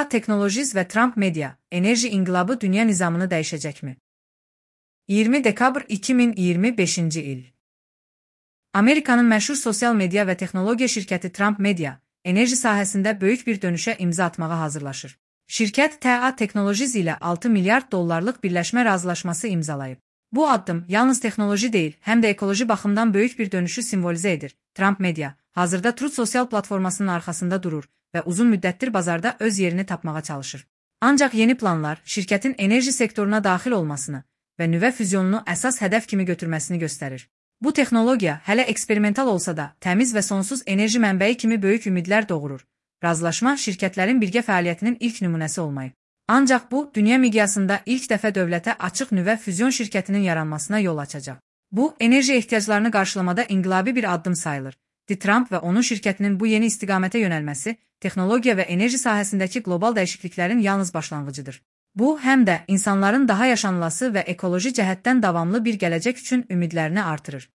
TA Technologies ve Trump Media, enerji inqilabı dünya nizamını dəyişəcəkmi? 20 dekabr 2025 il. Amerikanın məşhur sosial media və texnologiya şirkəti Trump Media, enerji sahəsində böyük bir dönüşə imza atmağa hazırlaşır. Şirkət TA Technologies ilə 6 milyard dollarlıq birləşmə razılaşması imzalayıb. Bu addım yalnız texnoloji deyil, həm də ekoloji baxımdan böyük bir dönüşü simvolizə edir. Trump Media, hazırda Truth sosial platformasının arxasında durur və uzun müddətdir bazarda öz yerini tapmağa çalışır. Ancaq yeni planlar şirkətin enerji sektoruna daxil olmasını və nüvə füzyonunu əsas hədəf kimi götürməsini göstərir. Bu texnologiya hələ eksperimental olsa da, təmiz və sonsuz enerji mənbəyi kimi böyük ümidlər doğurur. Razılaşma şirkətlərin birgə fəaliyyətinin ilk nümunəsi olmayıb. Ancaq bu, dünya miqyasında ilk dəfə dövlətə açıq nüvə füzyon şirkətinin yaranmasına yol açacaq. Bu, enerji ehtiyaclarını qarşılamada inqilabi bir addım sayılır. Trump və onun şirkətinin bu yeni istiqamətə yönəlməsi, texnologiya və enerji sahəsindəki qlobal dəyişikliklərin yalnız başlanğıcıdır. Bu, həm də insanların daha yaşanılası və ekoloji cəhətdən davamlı bir gələcək üçün ümidlərini artırır.